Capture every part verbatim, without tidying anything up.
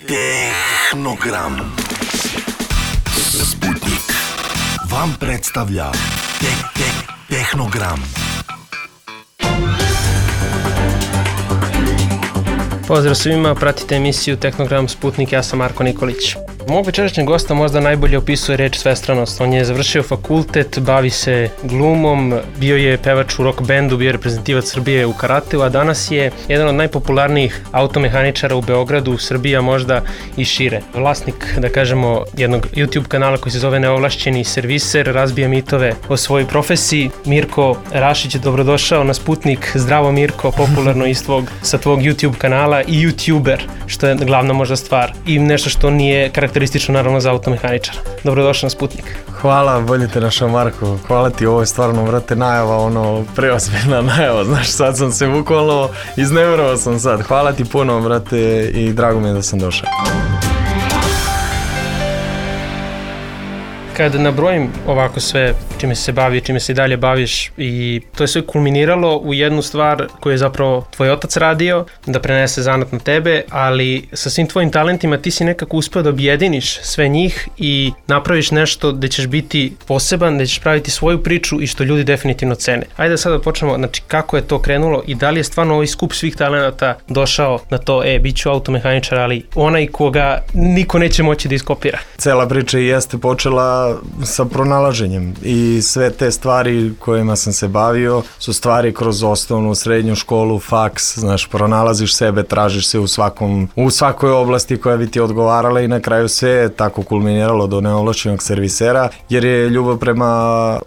Tehnogram. Sputnik vam predstavlja te, te, Tehnogram. Pozdrav svima, pratite emisiju Tehnogram Sputnik, ja sam Marko Nikolić. Mog večerašnjeg gosta možda najbolje opisuje reč svestranost. On je završio fakultet, bavi se glumom, bio je pevač u rock bandu, bio je reprezentativac Srbije u karateu, a danas je jedan od najpopularnijih automehaničara u Beogradu, Srbija možda i šire. Vlasnik, da kažemo, jednog YouTube kanala koji se zove Neovlašćeni serviser, razbija mitove o svojoj profesiji. Mirko Rašić, dobrodošao na Sputnik. Zdravo Mirko, popularno iz tvog, sa tvog YouTube kanala i YouTuber, što je glavna možda stvar i nešto što nije karakteristično naravno za automehaničara. Dobrodošao na Sputnik. Hvala, bolje te našao Marko. Hvala ti, ovo je stvarno, vrate, najava, ono, preozbiljna najava, znaš, sad sam se bukvalno izneverovao sam sad. Hvala ti puno, brate, i drago mi je da sam došao. Kad nabrojim ovako sve čime se bavi, čime se i dalje baviš, i to je sve kulminiralo u jednu stvar koju je zapravo tvoj otac radio, da prenese zanat na tebe, ali sa svim tvojim talentima ti si nekako uspeo da objediniš sve njih i napraviš nešto gde ćeš biti poseban, gde ćeš praviti svoju priču i što ljudi definitivno cene. Ajde sada da počnemo, znači kako je to krenulo i da li je stvarno ovaj skup svih talenata došao na to, e, bit ću automehaničar, ali onaj koga niko neće moći da iskopira. Cela priča jeste počela sa pronalaženjem i sve te stvari kojima sam se bavio su stvari kroz osnovnu, srednju školu, faks, znaš, pronalaziš sebe, tražiš se u svakom, u svakoj oblasti koja bi ti odgovarala i na kraju sve je tako kulminiralo do neovlašćenog servisera, jer je ljubav prema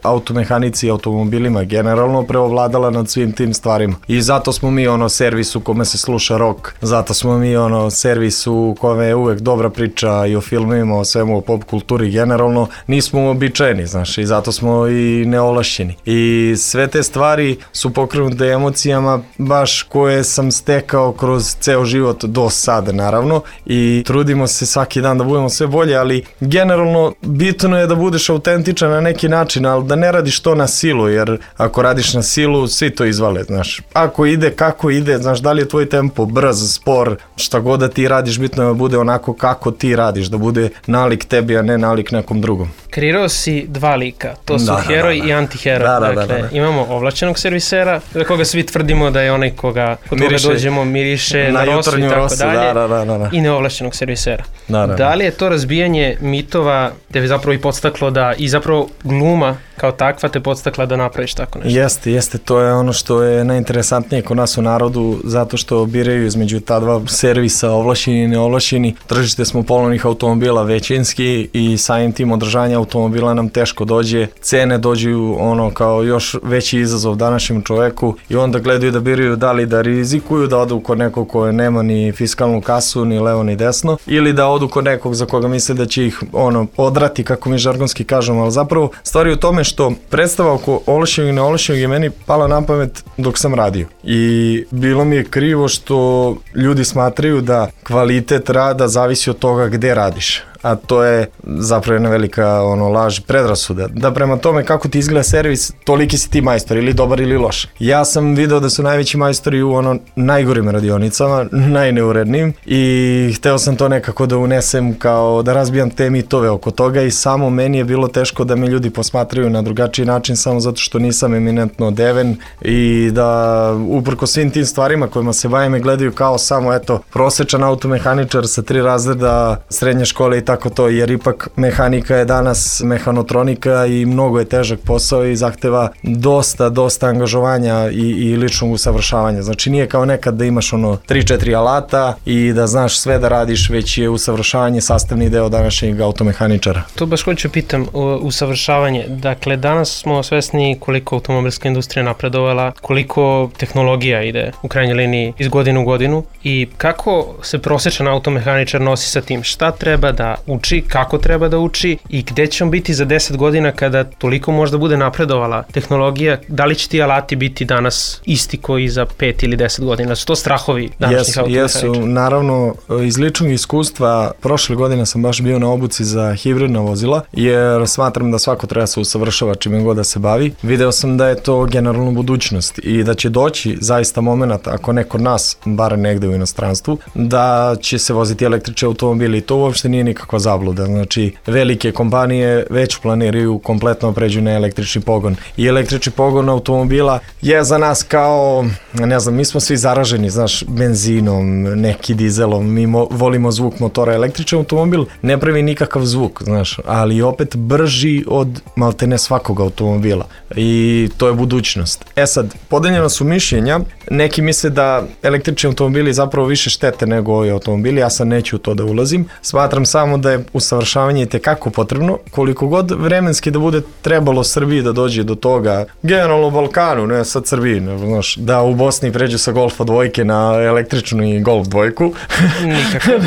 automehanici i automobilima generalno preovladala nad svim tim stvarima. I zato smo mi ono servis u kome se sluša rock, zato smo mi ono servis u kome je uvek dobra priča i o filmima, o svemu, o pop kulturi generalno. Nismo uobičajeni, znaš, i zato smo i neovlašćeni. I sve te stvari su pokrenute emocijama baš koje sam stekao kroz ceo život do sada, naravno, i trudimo se svaki dan da budemo sve bolje, ali generalno bitno je da budeš autentičan na neki način, ali da ne radiš to na silu, jer ako radiš na silu, svi to izvale, znaš. Ako ide, kako ide, znaš, da li je tvoj tempo brz, spor, šta god da ti radiš, bitno je da bude onako kako ti radiš, da bude nalik tebi, a ne nalik nekom drugom. Kreirao si dva lika, to su da, heroj da, da. i antiheroj. Da, da, dakle, da, da, da. Imamo ovlašćenog servisera, za koga svi tvrdimo da je onaj koga, kod koga dođemo, miriše na, na rosu i tako rosu, dalje, da, da, da, da. i neovlašćenog servisera. Da, da, da. Da li je to razbijanje mitova te bi zapravo i podstaklo da, i zapravo gluma kao takva te podstakla da napraviš tako nešto? Jeste, jeste, to je ono što je najinteresantnije kod nas u narodu, zato što biraju između ta dva servisa, ovlašćeni i neovlašćeni. Tržište smo polovnih automobila većinski i samim tim održanja automobila nam teško dođe, cene dođu ono kao još veći izazov današnjem čoveku i onda gledaju da biraju da li da rizikuju, da odu kod nekog koje nema ni fiskalnu kasu, ni levo ni desno, ili da odu kod nekog za koga misle da će ih ono odrati, kako mi žargonski kažemo, ali zapravo stvari u tome što predstava oko ovlašćenog i neovlašćenog je meni pala na pamet dok sam radio i bilo mi je krivo što ljudi smatraju da kvalitet rada zavisi od toga gde radiš, a to je zapravo jedna velika ono, laž, predrasuda. Da prema tome kako ti izgleda servis, toliki si ti majstor, ili dobar ili loš. Ja sam video da su najveći majstori u ono najgorim radionicama, najneurednim, i hteo sam to nekako da unesem kao da razbijam te mitove oko toga i samo meni je bilo teško da me ljudi posmatraju na drugačiji način samo zato što nisam eminentno odeven i da uprko svim tim stvarima kojima se bavim me gledaju kao samo eto prosečan automehaničar sa tri razreda srednje škole i tako to, jer ipak mehanika je danas mehanotronika i mnogo je težak posao i zahteva dosta, dosta angažovanja i, i ličnog usavršavanja. Znači nije kao nekad da imaš ono tri četiri alata i da znaš sve da radiš, već je usavršavanje sastavni deo današnjeg automehaničara. To baš hoću pitam, usavršavanje. Dakle, danas smo svesni koliko automobilska industrija napredovala, koliko tehnologija ide u krajnjoj liniji iz godine u godinu i kako se prosječan automehaničar nosi sa tim. Šta treba da da uči, kako treba da uči i gde će on biti za deset godina kada toliko možda bude napredovala tehnologija, da li će ti alati biti danas isti koji za pet ili deset godina? Su to strahovi današnjih automehaničara? Jesu, naravno, iz ličnog iskustva, prošle godine sam baš bio na obuci za hibridna vozila, jer smatram da svako treba se usavršava čime god da se bavi. Video sam da je to generalno budućnost i da će doći zaista moment, ako ne kod nas, bar negde u inostranstvu, da će se voziti električni automobili i to uopšte nije nikakva zabluda. Znači, velike kompanije već planiraju kompletno pređu na električni pogon i električni pogon automobila je za nas kao, ne znam, mi smo svi zaraženi, znaš, benzinom, neki dizelom, mi mo, volimo zvuk motora. Električni automobil ne pravi nikakav zvuk, znaš, ali opet brži od maltene svakog automobila i to je budućnost. E sad, podeljena su mišljenja, neki misle da električni automobili zapravo više štete nego ovi automobili, ja sad neću u to da ulazim, smatram samo da je usavršavanje i tekako potrebno, koliko god vremenski da bude trebalo Srbiji da dođe do toga, generalno u Balkanu, ne sad Srbiji, ne, znaš, da u Bosni pređu sa Golfa dvojke na električnu i Golf dvojku,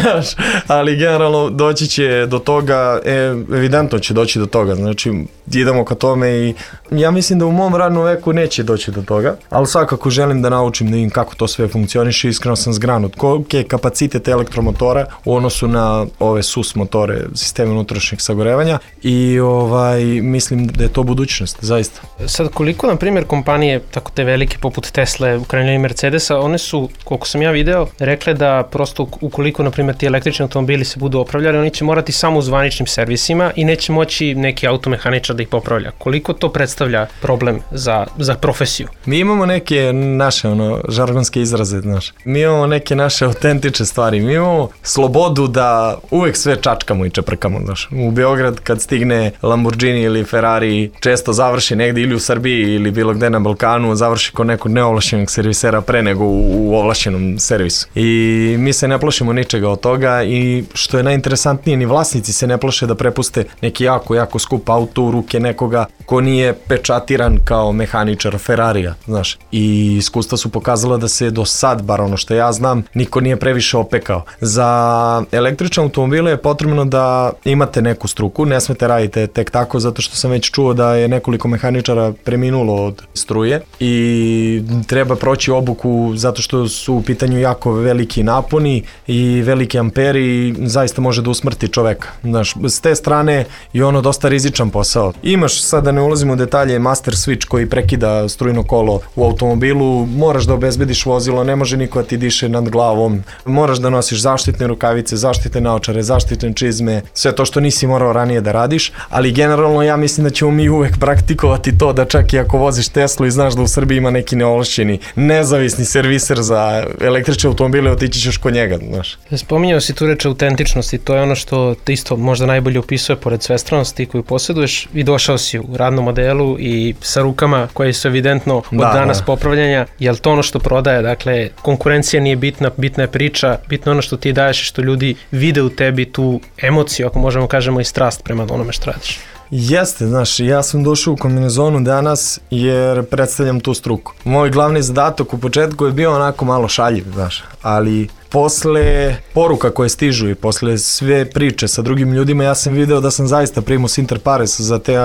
znaš, ali generalno doći će do toga, e, evidentno će doći do toga, znači idemo ka tome i ja mislim da u mom radnom veku neće doći do toga, ali svakako želim da naučim da vidim kako to sve funkcioniše, iskreno sam zgranut, koliki je kapacitet elektromotora u odnosu na ove S U S motore, sisteme unutrašnjeg sagorevanja i ovaj, mislim da je to budućnost, zaista. Sad koliko, na primjer, kompanije, tako te velike poput Tesla, u krajnjoj liniji Mercedesa, one su, koliko sam ja video, rekle da prosto ukoliko, na primjer, ti električni automobili se budu opravljali, oni će morati samo u zvaničnim servisima i neće moći neki automehaničar da ih popravlja. Koliko to predstavlja problem za, za profesiju? Mi imamo neke naše ono, žargonske izraze, znaš. Mi imamo neke naše autentične stvari. Mi imamo slobodu da uvek sve čačkamo i čeprkamo, znaš. U Beograd kad stigne Lamborghini ili Ferrari često završi negde ili u Srbiji ili bilo gde na Balkanu, završi kod nekog neovlašćenog servisera pre nego u, u ovlašćenom servisu. I mi se ne plašimo ničega od toga i što je najinteresantnije, ni vlasnici se ne plaše da prepuste neki jako, jako skup auto u ruke nekoga ko nije pečatiran kao mehaničar Ferrarija, znaš. I iskustva su pokazala da se do sad, bar ono što ja znam, niko nije previše opekao. Za električne automobile je potrebno da imate neku struku, ne smete radite tek tako, zato što sam već čuo da je nekoliko mehaničara preminulo od struje i treba proći obuku zato što su u pitanju jako veliki naponi i veliki amperi i zaista može da usmrti čoveka. Znaš, s te strane je ono dosta rizičan posao. Imaš, sad da ne ulazimo u detalje, master switch koji prekida strujno kolo u automobilu, moraš da obezbediš vozilo, ne može niko da ti diše nad glavom, moraš da nosiš zaštitne rukavice, zaštitne naočare, zaštitne čizme, sve to što nisi morao ranije da radiš, ali generalno ja mislim da ćemo mi uvek praktikovati to da čak i ako voziš Teslu i znaš da u Srbiji ima neki neovlašćeni nezavisni serviser za električne automobile, otići ćeš kod njega, znaš. Spominjao si tu reč autentičnosti, to je ono što te isto možda najbolje opisuje pored svestranosti koju posjeduješ i došao si u radnom modelu i sa rukama koje su evidentno od da, danas da. popravljanja, je li to ono što prodaje? Dakle, konkurencija nije bitna, bitna je priča, bitno ono što ti daješ i što ljudi vide u tebi tu emociju, ako možemo kažemo i strast prema onome što radiš. Jeste, znaš, ja sam došao u kombinezonu danas jer predstavljam tu struku. Moj glavni zadatak u početku je bio onako malo šaljiv, znaš, ali posle poruka koje stižu i posle sve priče sa drugim ljudima, ja sam video da sam zaista primus inter pares za te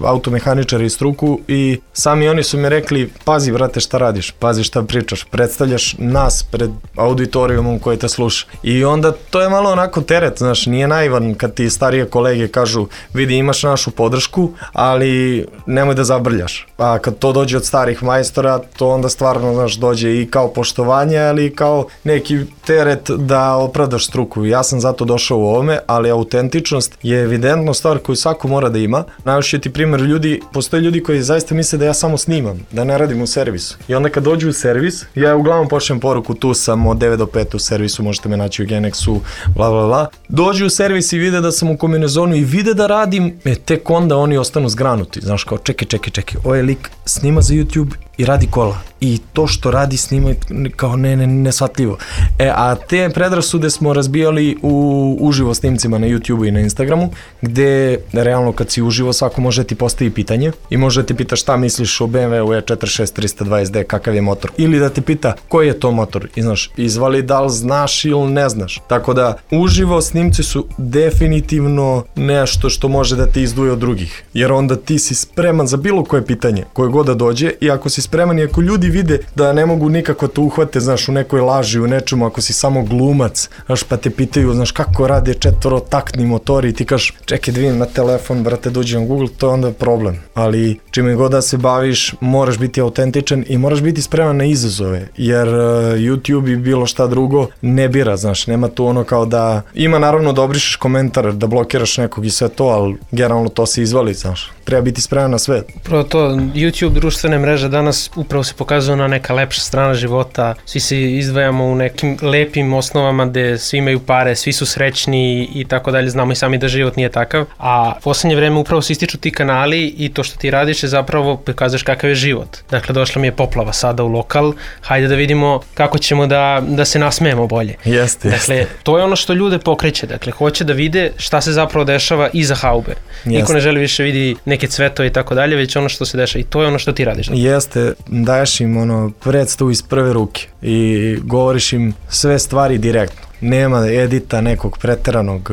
automehaničare i struku i sami oni su mi rekli, pazi brate šta radiš, pazi šta pričaš, predstavljaš nas pred auditorijumom koji te sluša. I onda to je malo onako teret, znaš, nije naivan kad ti starije kolege kažu, vidi imaš našu podršku, ali nemoj da zabrljaš. A kad to dođe od starih majstora, to onda stvarno, znaš, dođe i kao poštovanje, ali i kao neki teret da opravdaš struku. Ja sam zato došao u ovome, ali autentičnost je evidentno stvar koju svako mora da ima. Najviše ti primjer ljudi, postoje ljudi koji zaista misle da ja samo snimam, da ne radim u servisu. I onda kad dođu u servis, ja uglavnom pošaljem poruku, tu sam od devet do pet u servisu, možete me naći u Genexu, bla bla bla. Dođu u servis i vide da sam u kombinezonu i vide da radim, e, tek onda oni ostanu zgranuti. Znaš, kao čekaj, čekaj, čekaj, ovaj lik snima za YouTube i radi kola. I to što radi snima kao ne, ne, nesvatljivo. E, a te predrasude smo razbijali u uživo snimcima na YouTubeu i na Instagramu, gde realno kad si uživo svako može ti postavi pitanje i može ti pita šta misliš o B M W E četrdeset šest trista dvadeset D, kakav je motor. Ili da te pita koji je to motor i znaš, izvali da li znaš ili ne znaš. Tako da uživo snimci su definitivno nešto što može da te izduje od drugih. Jer onda ti si spreman za bilo koje pitanje, koje god da dođe, i ako si spreman i ako ljudi vide da ne mogu nikako te uhvate, znaš, u nekoj laži, u nečemu, ako si samo glumac, znaš, pa te pitaju, znaš, kako rade četvorotaktni motori i ti kažeš, čekaj da vidim na telefon, brate, dođi na Google, to je onda problem. Ali čime god da se baviš, moraš biti autentičan i moraš biti spreman na izazove, jer uh, YouTube i bilo šta drugo ne bira, znaš, nema tu ono kao da, ima naravno da obrišeš komentar, da blokiraš nekog i sve to, ali generalno to se izvali, znaš, treba biti spreman na sve. Upravo to, YouTube, društvene mreže danas upravo se pokazuju na neka lepša strana života, svi se izdvajamo u nekim lepim osnovama gde svi imaju pare, svi su srećni i tako dalje, znamo i sami da život nije takav, a u poslednje vreme upravo se ističu ti kanali i to što ti radiš je zapravo pokazuješ kakav je život. Dakle, došla mi je poplava sada u lokal, hajde da vidimo kako ćemo da, da se nasmejemo bolje. Jeste, dakle, jeste. to je ono što ljude pokreće, dakle, hoće da vide šta se zapravo dešava iza haube. Jeste. Niko ne želi više vidi neke cvetove i tako dalje, već ono što se dešava i to je ono što ti radiš. Dakle. Jeste, daješ im ono predstavu iz prve ruke i govoriš im sve stvari direktno. Nema edita nekog preteranog,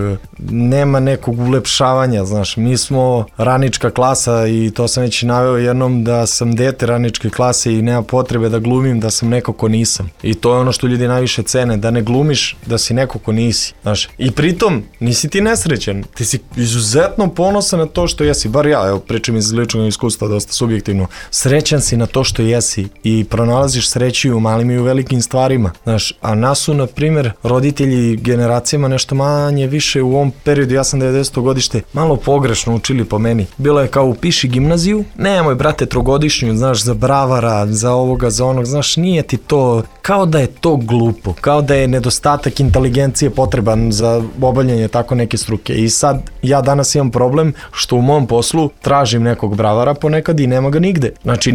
nema nekog ulepšavanja, znaš, mi smo radnička klasa i to sam već naveo jednom da sam dete radničke klase i nema potrebe da glumim da sam neko ko nisam. I to je ono što ljudi najviše cene, da ne glumiš da si neko ko nisi, znaš. I pritom nisi ti nesrećan, ti si izuzetno ponosan na to što jesi, bar ja, evo pričam iz ličnog iskustva, dosta subjektivno, srećan si na to što jesi i pronalaziš sreću i u malim i u velikim stvarima, znaš, a nas su, na primjer, roditelji generacijama nešto manje više u ovom periodu, ja sam devedeseto godište, malo pogrešno učili po meni. Bilo je kao upiši gimnaziju, nemoj brate trogodišnju, znaš, za bravara, za ovoga, za onog, znaš, nije ti to, kao da je to glupo, kao da je nedostatak inteligencije potreban za obavljanje tako neke struke. I sad ja danas imam problem što u mom poslu tražim nekog bravara ponekad i nema ga nigde. Znači, e,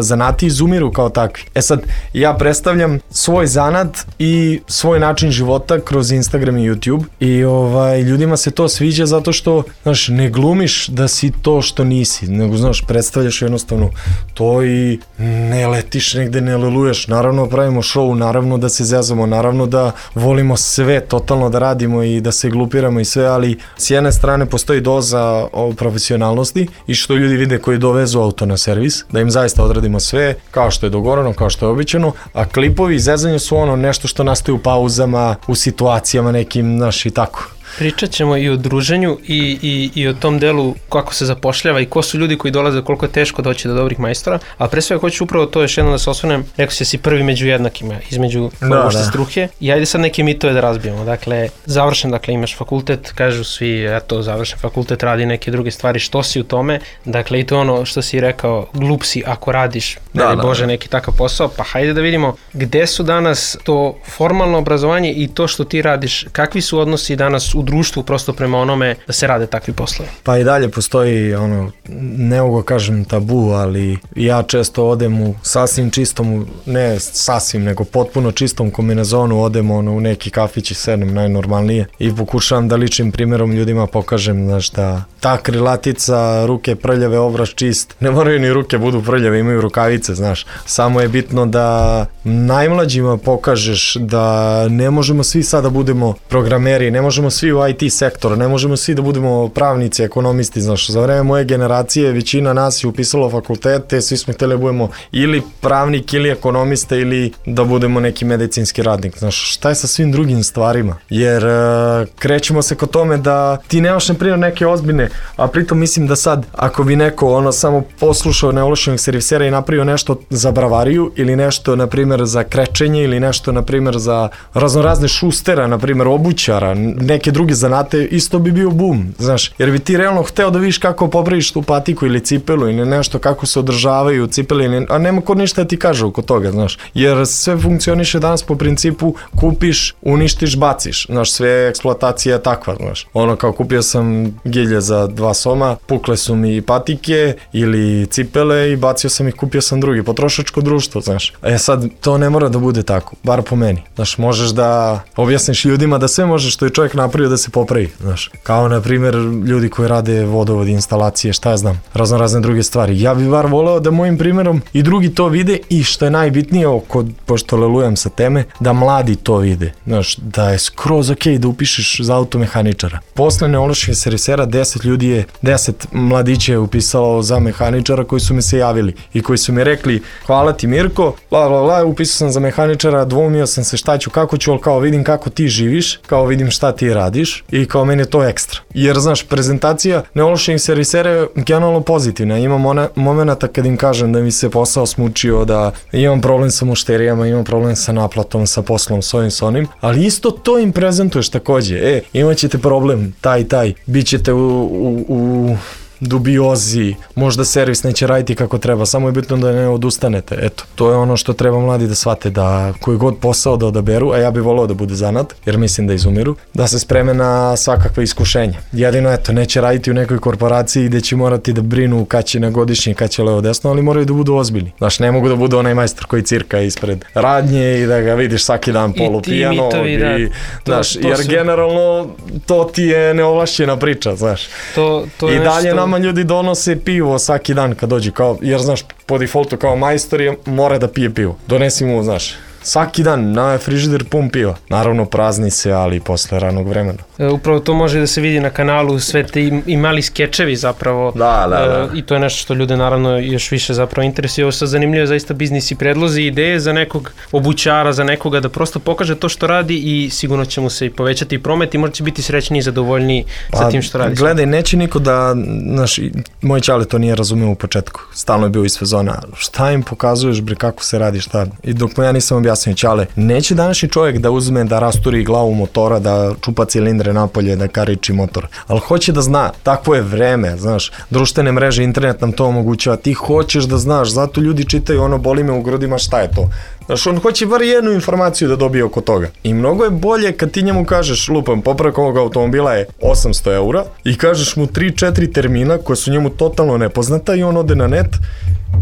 zanati izumiru kao takvi. E sad, ja predstavljam svoj zanat i svoj način života kroz Instagram i YouTube i ovaj, ljudima se to sviđa zato što, znaš, ne glumiš da si to što nisi, nego, znaš, predstavljaš jednostavno to i ne letiš negde, ne leluješ, naravno pravimo show, naravno da se zezamo, naravno da volimo sve totalno da radimo i da se glupiramo i sve, ali s jedne strane postoji doza profesionalnosti i što ljudi vide koji dovezu auto na servis, da im zaista odradimo sve kao što je dogovoreno, kao što je običano, a klipovi i zezanje su ono nešto što nastaje u pauzama, u situacijama nekim, znaš, i tako. Pričat ćemo i o druženju i, i, i o tom delu kako se zapošljava i ko su ljudi koji dolaze, koliko je teško doći do dobrih majstora, a pre svega hoću upravo to još jedno da se osvrnem, rekao si da si prvi među jednakima, između da, uopšte da. struke i ajde sad neke mitove da razbijemo. Dakle, završen, dakle imaš fakultet, kažu svi, eto, završen fakultet, radi neke druge stvari, što si u tome, dakle i to ono što si rekao, glup si ako radiš, da, da, Bože, neki takav posao, pa hajde da vidimo gde su danas to formalno obrazovanje i to što ti radiš, kakvi su odnosi danas u društvu prosto prema onome da se rade takvi poslovi. Pa i dalje postoji ono, ne mogu kažem tabu, ali ja često odem u sasvim čistom, ne sasvim, nego potpuno čistom kombinezonu, odem ono, u neki kafić i sedem najnormalnije i pokušavam da ličnim primjerom ljudima pokažem, znaš, da ta krilatica, ruke prljave, obraz čist, ne moraju ni ruke budu prljave, imaju rukavice, znaš, samo je bitno da najmlađima pokažeš da ne možemo svi sada budemo programeri, ne možemo svi u I T sektor, ne možemo svi da budemo pravnici, ekonomisti, znaš, za vreme moje generacije većina nas je upisalo fakultete, svi smo htjeli da budemo ili pravnik ili ekonomista ili da budemo neki medicinski radnik, znaš, šta je sa svim drugim stvarima, jer uh, krećemo se kod tome da ti nemaš na primjer neke ozbiljne, a pritom mislim da sad, ako bi neko ono samo poslušao neovlašćenog servisera i napravio nešto za bravariju ili nešto na primjer za krečenje ili nešto na primjer za raznorazne šustera, na primjer obućara, neke druge druge zanate, isto bi bio bum, znaš, jer bi ti realno hteo da vidiš kako popraviš tu patiku ili cipelu ili nešto, kako se održavaju cipele, a nema ko ništa da ti kaže oko toga, znaš, jer sve funkcioniše danas po principu kupiš, uništiš, baciš, znaš, sve eksploatacija je takva, znaš, ono kao kupio sam gilje za dva soma, pukle su mi patike ili cipele i bacio sam ih, kupio sam drugi, potrošačko društvo, znaš, e sad, to ne mora da bude tako, bar po meni, znaš, možeš da objasniš ljudima da sve može što je čovjek napravio da se popravi, znaš, kao na primjer ljudi koji rade vodovod, instalacije, šta ja znam, razno razne druge stvari. Ja bih bar voleo da mojim primjerom i drugi to vide i što je najbitnije, oko, pošto lelujem sa teme, da mladi to vide, znaš, da je skroz ok da upišeš za automehaničara. Posle neovlašćenih servisera deset ljudi je, deset mladića je upisalo za mehaničara koji su mi se javili i koji su mi rekli hvala ti Mirko, bla bla bla, upisao sam za mehaničara, dvoumio sam se šta ću, kako ću, ali kao vidim kako ti živiš, kao vidim šta ti radiš i kao meni je to ekstra. Jer znaš, prezentacija neovlašćenih servisera je generalno pozitivna. Imam ona, momenata kad im kažem da mi se posao smučio, da imam problem sa mušterijama, imam problem sa naplatom, sa poslom, s ovim, s onim, ali isto to im prezentuješ takođe. E, imat ćete problem, taj, taj, bit ćete u, u, u dubiozi, možda servis neće raditi kako treba, samo je bitno da ne odustanete. Eto, to je ono što treba mladi da shvate, da koji god posao da odaberu, a ja bih voleo da bude zanat, jer mislim da izumiru, da se spreme na svakakve iskušenja. Jedino, eto, neće raditi u nekoj korporaciji gde će morati da brinu kad će na godišnji, kad će levo desno, ali moraju da budu ozbiljni. Znaš, ne mogu da budu onaj majstor koji cirka ispred radnje i da ga vidiš svaki dan polupijano. I, da, i to, znaš, to jer su... generalno to ti je neovlašćena priča, znaš. To, to je I dalje nešto... nama ljudi donose pivo svaki dan kad dođe, kao, jer znaš, po defaultu kao majstor je, mora da pije pivo. Donesi mu, znaš, svaki dan na frižider pun piva. Naravno prazni se, ali posle ranog vremena. E, upravo to može da se vidi na kanalu, sve te i, i mali skečevi zapravo. Da, da, da. E, I to je nešto što ljude naravno još više zapravo interesuje. Ovo sad zanimljivo zaista biznis i predlozi, ideje za nekog obućara, za nekoga da prosto pokaže to što radi i sigurno će mu se i povećati promet i možda će biti srećniji i zadovoljniji pa, sa tim što radi. Gledaj, neće niko da, znaš, moj čale to nije razumio u početku. Stalno je bio iz fazona, šta im pokazuješ bre, kako se radi, šta? I dok mu ja nisam objasnio, čale, neće današnji čovjek da uzme, da rasturi glavu motora, da čupa cilindre napolje, da kariči motor, ali hoće da zna, takvo je vreme, znaš, društvene mreže, internet nam to omogućava, ti hoćeš da znaš, zato ljudi čitaju ono boli me u grudima, šta je to? Znaš, on hoće bar jednu informaciju da dobije oko toga. I mnogo je bolje kad ti njemu kažeš, lupam, popravak ovog automobila je osamsto eura i kažeš mu tri četiri termina koja su njemu totalno nepoznata i on ode na net,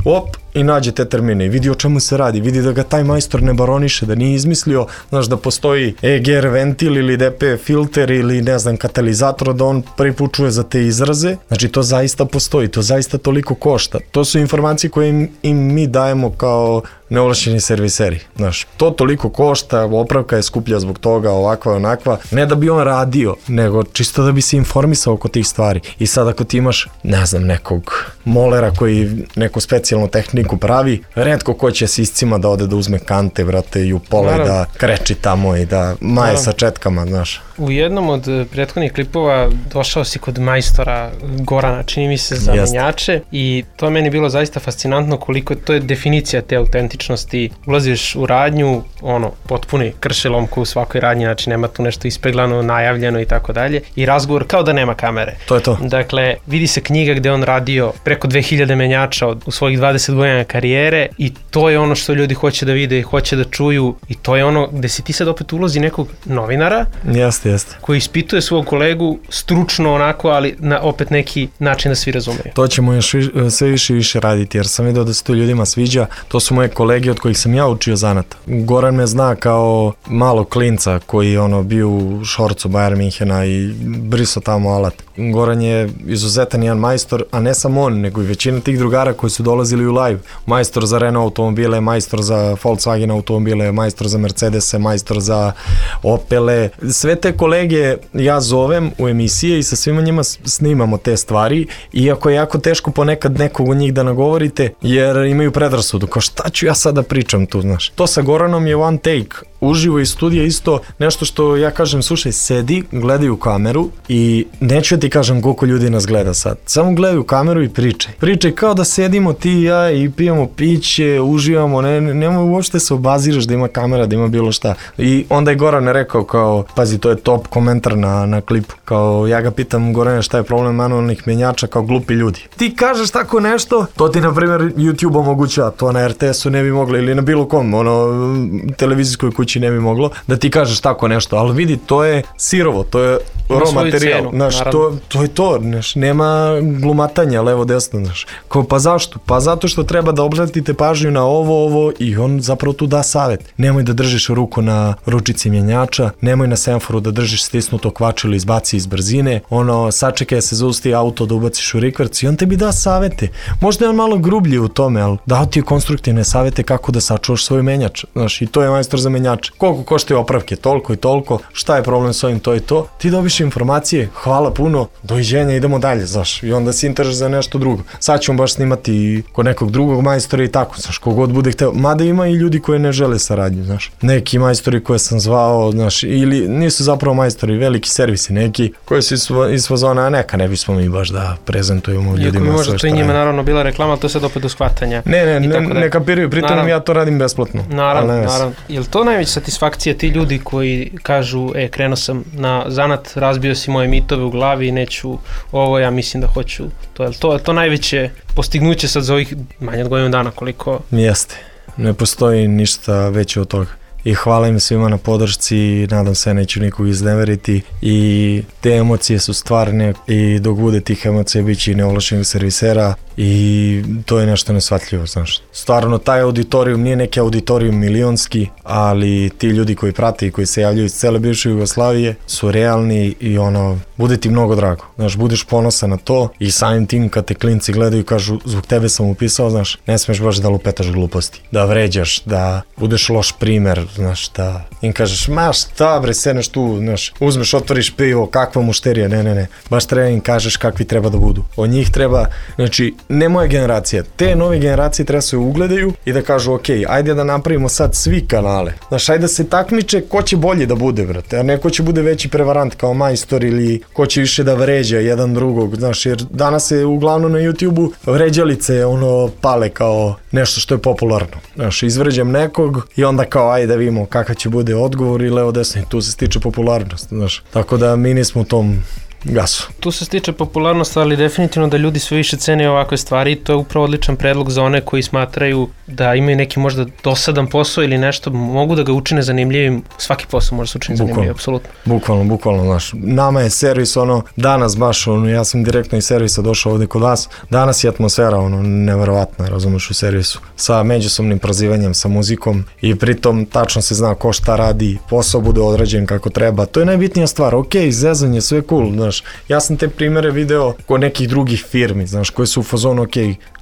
op, i nađe te termine i vidi o čemu se radi, vidi da ga taj majstor ne baroniše, da nije izmislio, znaš, da postoji E G R ventil ili D P filter ili ne znam katalizator, da on prvi put čuje za te izraze, znači to zaista postoji, to zaista toliko košta. To su informacije koje im, im mi dajemo kao neovlašćeni serviseri, znaš, to toliko košta, opravka je skuplja zbog toga, ovakva, onakva, ne da bi on radio, nego čisto da bi se informisao oko tih stvari. I sad ako ti imaš, ne znam, nekog molera koji neku specijalnu tehniku pravi, retko ko će s iscima da ode da uzme kante, brate, i u pola i da kreči tamo i da maje sa četkama, znaš. U jednom od prethodnih klipova došao si kod majstora Gorana, čini mi se, za menjače i to je meni bilo zaista fascinantno koliko to je definicija te autentičnosti. Ulaziš u radnju, ono, potpuni kršelomku u svakoj radnji, znači nema tu nešto ispeglano, najavljeno i tako dalje i razgovor kao da nema kamere. To je to. Dakle, vidi se knjiga gde on radio preko dve hiljade menjača od, u svojih dvadeset godina karijere i to je ono što ljudi hoće da vide i hoće da čuju i to je ono gde si ti sad opet ulozi nekog novinara. Jeste, jeste. Koji ispituje svog kolegu stručno onako, ali na opet neki način da svi razumeju. To ćemo još vi, sve više i više raditi, jer sam vidio da se to ljudima sviđa. To su moje kolege od kojih sam ja učio zanat. Goran me zna kao malo klinca koji ono bio u šorcu Bayern Minhena i briso tamo alat. Goran je izuzetan jedan majstor, a ne samo on, nego i većina tih drugara koji su dolazili u live. Majstor za Renault automobile, majstor za Volkswagen automobile, majstor za Mercedese, majstor za Opele. Sve te kolege ja zovem u emisije i sa svima njima snimamo te stvari, iako je jako teško ponekad nekog od njih da nagovorite, jer imaju predrasudu, kao šta ću ja sada pričam tu, znaš. To sa Goranom je one take, uživo iz studija isto nešto što ja kažem, slušaj, sedi, gledaj u kameru i neću ja ti kažem koliko ljudi nas gleda sad, samo gledaj u kameru i pričaj. Pričaj kao da sedimo ti i ja i pijemo piće, uživamo, ne, nemoj uopšte se obaziraš da ima kamera, da ima bilo šta. I onda je Goran rekao kao, pazi, to je top komentar na, na klipu, kao ja ga pitam Gorane šta je problem manualnih menjača, kao glupi ljudi. Ti kažeš tako nešto, to ti na primjer YouTube omogućava, to na R T S-u ne bi moglo ili na bilo kom, ono, televizijskoj kući ne bi moglo, da ti kažeš tako nešto, ali vidi, to je sirovo, to je raw materijal, znaš, to, to je to, znaš, nema glumatanja levo desno, znaš. Kao, pa zašto? Pa zato što treba da obratite pažnju na ovo, ovo i on zapravo tu da savjet. Nemoj da držiš ruku na ručici mjenjača, nemoj na semaforu da držiš stisnuto kvač ili izbaci iz brzine, ono, sačekaj se zausti auto da ubaciš u rikverc i on tebi da savjete. Možda je on malo grublji u tome, ali dao ti je konstruktivne savjete kako da sačuvaš svoj menjač, znaš, i to je majstor za menjače. Koliko koštaju opravke, toliko i toliko, šta je problem s ovim, to i to. Ti dobiš informacije, hvala puno, doviđenja, idemo dalje, znaš, i onda si intereseš za nešto drugo. Sad ćemo baš snimati kod nekog drugog majstora i tako, znaš, kogod bude hteo, mada ima i ljudi koji ne žele saradnju, znaš. Neki majstori koje sam zvao, znaš, ili nisu zapravo majstori, veliki servisi, neki koji su iz fazona, a neka ne bismo mi baš da prezentujemo ljudima sve što radimo. Možda to i njima naravno bila reklama, ali to se opet do shvatanja. Ne, ne, ne, ne kapiraju, pritom ja to radim besplatno. Naravno, naravno. Je li to najveća satisfakcija ti ljudi koji kažu, e, krenuo sam na zanat, razbio si moje mitove u glavi i neću ovo, ja mislim da hoću. To je to, to najveće postignuće sad za ovih manje od godinu dana koliko... Jeste, ne postoji ništa veće od toga. I hvala im svima na podršci, nadam se neću nikog izneveriti i te emocije su stvarne i dok bude tih emocija bit će i neovlašćenih servisera i to je nešto nesvatljivo, znaš. Stvarno, taj auditorijum nije neki auditorijum milionski, ali ti ljudi koji prate i koji se javljaju iz cele bivše Jugoslavije su realni i ono, bude ti mnogo drago, znaš, budeš ponosan na to i samim tim kad te klinci gledaju i kažu zbog tebe sam upisao, znaš, ne smeš baš da lupetaš gluposti, da vređaš, da budeš loš primer, znaš, da im kažeš, ma šta bre, sedneš tu, znaš, uzmeš, otvoriš pivo, kakva mušterija, ne, ne, ne, baš treba im kažeš kakvi treba da budu. Od njih treba, znači, ne moja generacija, te nove generacije treba se ugledaju i da kažu, ok, ajde da napravimo sad svi kanale, znaš, ajde da se takmiče ko će bolje da bude, brate, a ne ko će bude veći prevarant kao majstor ili ko će više da vređa jedan drugog, znaš, jer danas se uglavnom na YouTube-u vređalice, ono, pale kao nešto što je popularno, znaš, izvređam nekog i onda kao, ajde da vidimo kakav će bude odgovor i levo desno i tu se stiče popularnost, znaš, tako da mi nismo u tom gasu. Tu se stiče popularnost, ali definitivno da ljudi sve više cene ovakve stvari i to je upravo odličan predlog za one koji smatraju da imaju neki možda dosadan posao ili nešto, mogu da ga učine zanimljivim, svaki posao može se učiniti zanimljivim, apsolutno. Bukvalno, bukvalno, znaš, nama je servis, ono, danas baš, ono, ja sam direktno iz servisa došao ovde kod vas, danas je atmosfera, ono, neverovatna, razumeš, u servisu, sa međusobnim prozivanjem, sa muzikom i pritom tačno se zna ko šta radi, posao bude odrađen kako treba, to je najbitnija stvar, ok, zezanje, sve cool, znaš, ja sam te primere video kod nekih drugih firmi, znaš, koje su u fazonu, ok,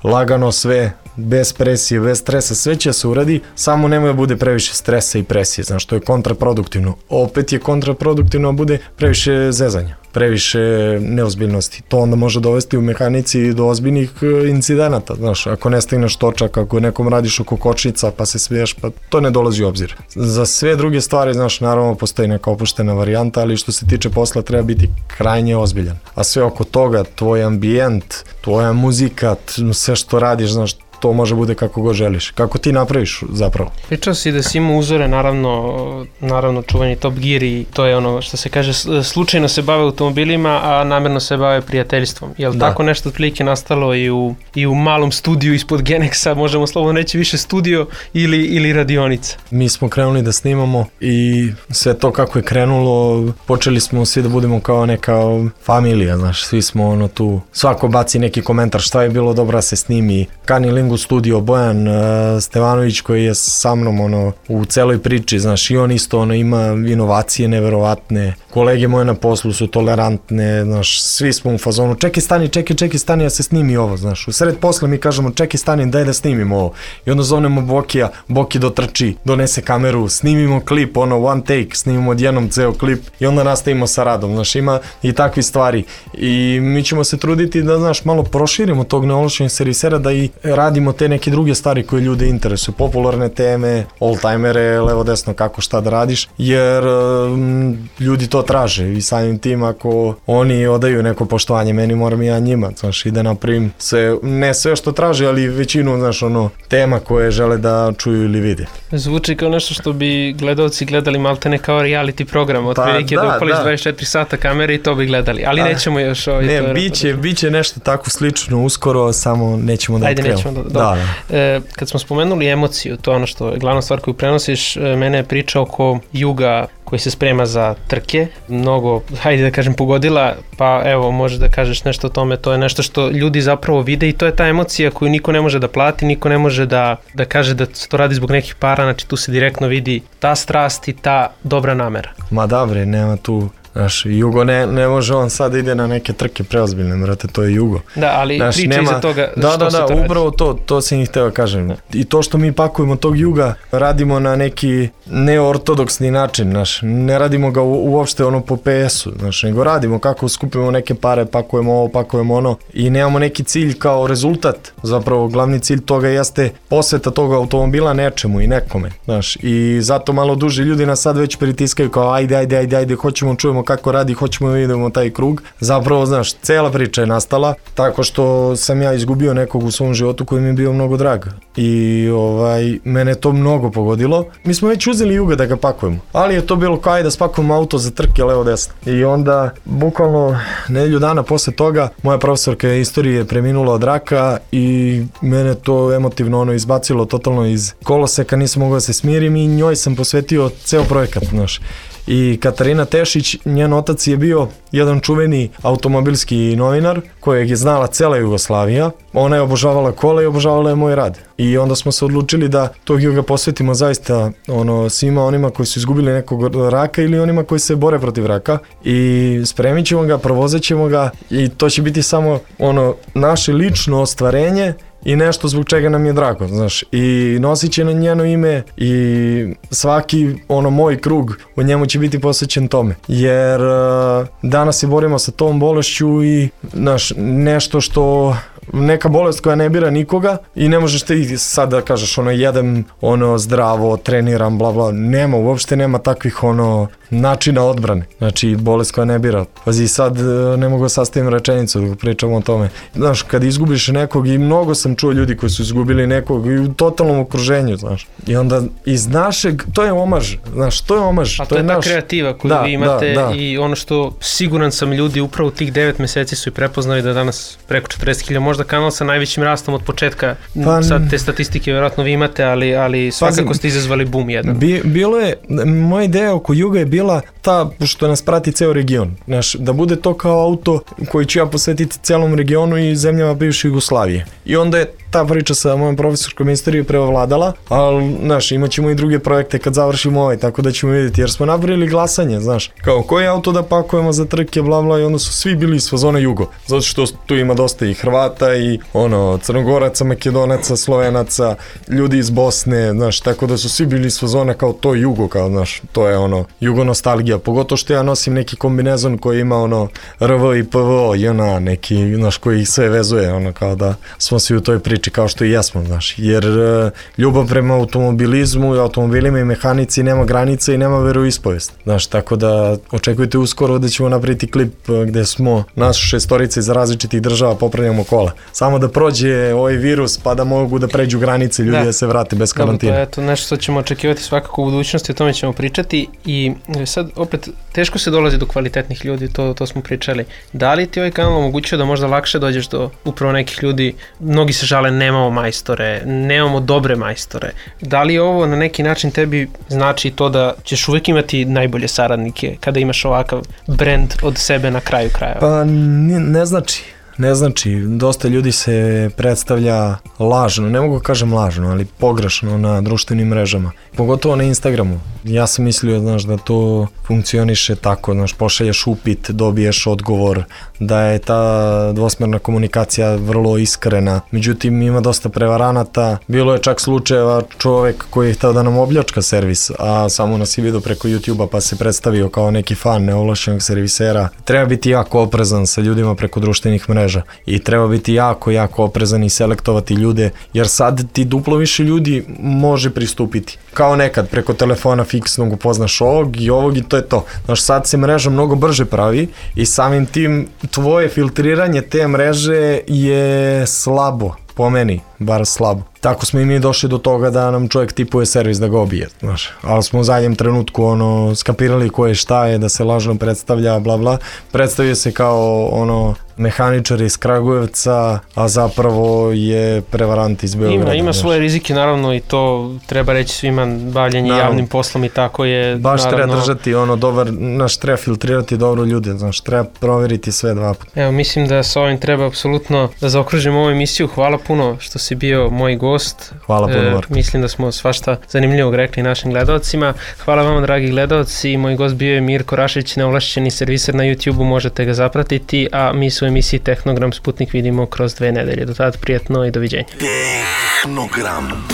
lagano sve, bez presije, bez stresa, sve će se uradi, samo nemoj da bude previše stresa i presije, znaš, to je kontraproduktivno. Opet je kontraproduktivno da bude previše zezanja, previše neozbiljnosti. To onda može dovesti u mehanici do ozbiljnih incidenata, znaš, ako ne stigneš točak, ako nekom radiš oko kočnica pa se smiješ, pa to ne dolazi u obzir. Za sve druge stvari, znaš, naravno postoji neka opuštena varijanta, ali što se tiče posla treba biti krajnje ozbiljan. A sve oko toga, tvoj ambijent, tvoja muzika, sve što radiš, znaš, to može bude kako god želiš. Kako ti napraviš zapravo? Pričao si da si imao uzore, naravno, naravno čuveni Top Gear i to je ono što se kaže, slučajno se bave automobilima, a namjerno se bave prijateljstvom. Je li tako nešto otprilike nastalo i u, i u malom studiju ispod Genexa, možemo slobodno reći više studio ili, ili radionica? Mi smo krenuli da snimamo i sve to kako je krenulo, počeli smo svi da budemo kao neka familija, znaš, svi smo ono tu, svako baci neki komentar šta je bilo dobro da se snimi, Kani Lingu studio, Bojan uh, Stevanović koji je sa mnom ono, u celoj priči, znaš, i on isto ono, ima inovacije neverovatne, kolege moje na poslu su tolerantne, znaš, svi smo u fazonu, čekaj stani, čekaj, čekaj stani, ja se snimi ovo, znaš, u sred posla mi kažemo, čekaj stani, daj da snimimo ovo, i onda zovnemo Bokija, Boki dotrči, donese kameru, snimimo klip, ono, one take, snimimo odjednom ceo klip i onda nastavimo sa radom, znaš, ima i takvi stvari i mi ćemo se truditi da, znaš, malo proširimo tog neovlašćenog servisera, da i radimo radimo te neke druge stvari koje ljude interesuju, popularne teme, oldtimere, levo desno kako šta da radiš, jer um, ljudi to traže i samim tim ako oni odaju neko poštovanje meni, moram i ja njima, znaš, i da napravim sve, ne sve što traže, ali većinu, znaš, ono, tema koje žele da čuju ili vide. Zvuči kao nešto što bi gledalci gledali maltene kao reality program, od prilike da, da upališ da. dvadeset četiri sata kamere i to bi gledali, ali A, nećemo još ovaj... Ne, biće, biće nešto tako slično uskoro, samo nećemo da Ajde, nećemo da... da, da. E, kad smo spomenuli emociju, to je ono što je glavna stvar koju prenosiš, mene je priča oko juga koji se sprema za trke, mnogo, hajde da kažem, pogodila, pa evo, možeš da kažeš nešto o tome, to je nešto što ljudi zapravo vide i to je ta emocija koju niko ne može da plati, niko ne može da, da kaže da se to radi zbog nekih para, znači tu se direktno vidi ta strast i ta dobra namera. Ma da bre, nema tu... Znaš, Jugo ne, ne može on sad ide na neke trke preozbiljne, brate, to je Jugo. Da, ali znaš, priča nema, iza toga da, što da, se da, to radi. upravo to, to sam ih hteo da kažem. Da. I to što mi pakujemo tog Juga, radimo na neki neortodoksni način, znaš, ne radimo ga u, uopšte ono po P S-u, znaš, nego radimo kako skupimo neke pare, pakujemo ovo, pakujemo ono i nemamo neki cilj kao rezultat, zapravo glavni cilj toga jeste posveta tog automobila nečemu i nekome, znaš, i zato malo duže ljudi nas sad već pritiskaju kao ajde, ajde, ajde, ajde, hoćemo, čujemo kako radi, hoćemo da vidimo taj krug. Zapravo, znaš, cela priča je nastala tako što sam ja izgubio nekog u svom životu koji mi je bio mnogo drag. I ovaj, mene to mnogo pogodilo. Mi smo već uzeli Juga da ga pakujemo, ali je to bilo kao ajde da spakujemo auto za trke levo desno. I onda, bukvalno nedelju dana posle toga, moja profesorka istorije preminula od raka i mene to emotivno ono izbacilo totalno iz koloseka, nisam mogao da se smirim i njoj sam posvetio ceo projekat, znaš. I Katarina Tešić, njen otac je bio jedan čuveni automobilski novinar kojeg je znala cela Jugoslavija. Ona je obožavala kola i obožavala je moj rad. I onda smo se odlučili da tog Juga posvetimo zaista ono, svima onima koji su izgubili nekog raka ili onima koji se bore protiv raka. I spremit ćemo ga, provozet ćemo ga i to će biti samo ono naše lično ostvarenje i nešto zbog čega nam je drago, znaš, i nosit će na njeno ime i svaki ono moj krug u njemu će biti posvećen tome, jer uh, danas se borimo sa tom bolešću i znaš, nešto što neka bolest koja ne bira nikoga i ne možeš ti sad da kažeš ono jedem ono zdravo, treniram, bla bla, nema, uopšte nema takvih ono načina odbrane, znači bolest koja ne bira. Pazi, sad ne mogu sastavim rečenicu dok pričamo o tome. Znaš, kad izgubiš nekog i mnogo sam čuo ljudi koji su izgubili nekog i u totalnom okruženju, znaš. I onda iz našeg, to je omaž, znaš, to je omaž. A to, to je, je ta naš... kreativa koju da, vi imate da, da. I ono što siguran sam ljudi upravo u tih devet meseci su i prepoznali da danas preko četrdeset hiljada, možda kanal sa najvećim rastom od početka, pa, sad te statistike vjerojatno vi imate, ali, ali svakako pa, ste izazvali boom jedan. Bi, bilo je, moja ideja oko Juga je bila ta što nas prati ceo region, znaš, da bude to kao auto koji ću ja posvetiti celom regionu i zemljama bivše Jugoslavije. I onda je ta priča sa mojom profesorskom istoriju prevladala, ali, znaš, imat ćemo i druge projekte kad završimo ovaj, tako da ćemo vidjeti, jer smo napravili glasanje, znaš, kao koji auto da pakujemo za trke, bla bla, i onda su svi bili iz fazona Jugo, zato što tu ima dosta i Hrvata i ono, Crnogoraca, Makedonaca, Slovenaca, ljudi iz Bosne, znaš, tako da su svi bili iz fazona kao to Jugo, kao, znaš, to je ono, Jugo nostalgija, pogotovo što ja nosim neki kombinezon koji ima ono R V i P V O i ona neki, znaš, koji ih sve vezuje, ono, kao da smo svi u toj priči kao što i jesmo, znaš, jer uh, ljubav prema automobilizmu i automobilima i mehanici nema granice i nema veroispovest, znaš, tako da očekujte uskoro da ćemo napraviti klip uh, gde smo nas šestorice iz različitih država popravljamo kola, samo da prođe ovaj virus pa da mogu da pređu granice ljudi da, da se vrate bez karantina. Dobro, to je to nešto što ćemo očekivati svakako u budućnosti, o tome ćemo pričati i sad opet teško se dolazi do kvalitetnih ljudi, to, to smo pričali. Da li ti ovaj kanal omogućio da možda lakše dođeš do upravo nekih ljudi, mnogi se žale nemamo majstore, nemamo dobre majstore. Da li ovo na neki način tebi znači to da ćeš uvijek imati najbolje saradnike kada imaš ovakav brand od sebe na kraju krajeva? Pa ne, ne znači. Ne znači, dosta ljudi se predstavlja lažno, ne mogu kažem lažno, ali pogrešno na društvenim mrežama, pogotovo na Instagramu. Ja sam mislio, znaš, da to funkcioniše tako, znaš, pošalješ upit, dobiješ odgovor, da je ta dvosmerna komunikacija vrlo iskrena. Međutim, ima dosta prevaranata. Bilo je čak slučajeva čovek koji je hteo da nam obljačka servis, a samo nas je vidio preko YouTube-a pa se predstavio kao neki fan neovlašćenog servisera. Treba biti jako oprezan sa ljudima preko društvenih mreža. mreža i treba biti jako, jako oprezan i selektovati ljude, jer sad ti duplo više ljudi može pristupiti. Kao nekad, preko telefona fiksnog upoznaš ovog i ovog i to je to. Znaš, sad se mreža mnogo brže pravi i samim tim tvoje filtriranje te mreže je slabo, po meni, bar slabo. Tako smo i mi došli do toga da nam čovjek tipuje servis da ga obije, znaš. Ali smo u zadnjem trenutku ono, skapirali ko je šta je, da se lažno predstavlja, bla bla. Predstavio se kao ono mehaničar iz Kragujevca, a zapravo je prevarant iz Beograda. Ima, ima svoje rizike, naravno, i to treba reći svima, bavljanje naravno. Javnim poslom i tako je. Baš naravno, treba držati ono dobar, znaš, treba filtrirati dobro ljude, znaš, treba provjeriti sve dva puta. Evo, mislim da sa ovim treba apsolutno da zaokružimo ovu emisiju. Hvala puno što si bio moj gost. Hvala puno, e, Marko. Mislim da smo svašta zanimljivog rekli našim gledalcima. Hvala vama, dragi gledalci. Moj gost bio je Mirko Rašić, neovlašćeni serviser na YouTube-u, možete ga zapratiti, a mi su u emisiji Tehnogram Sputnik vidimo kroz dve nedelje. Do tada prijetno i doviđenja. Tehnogram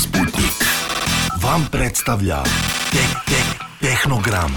Sputnik vam predstavlja te, te, Tehnogram.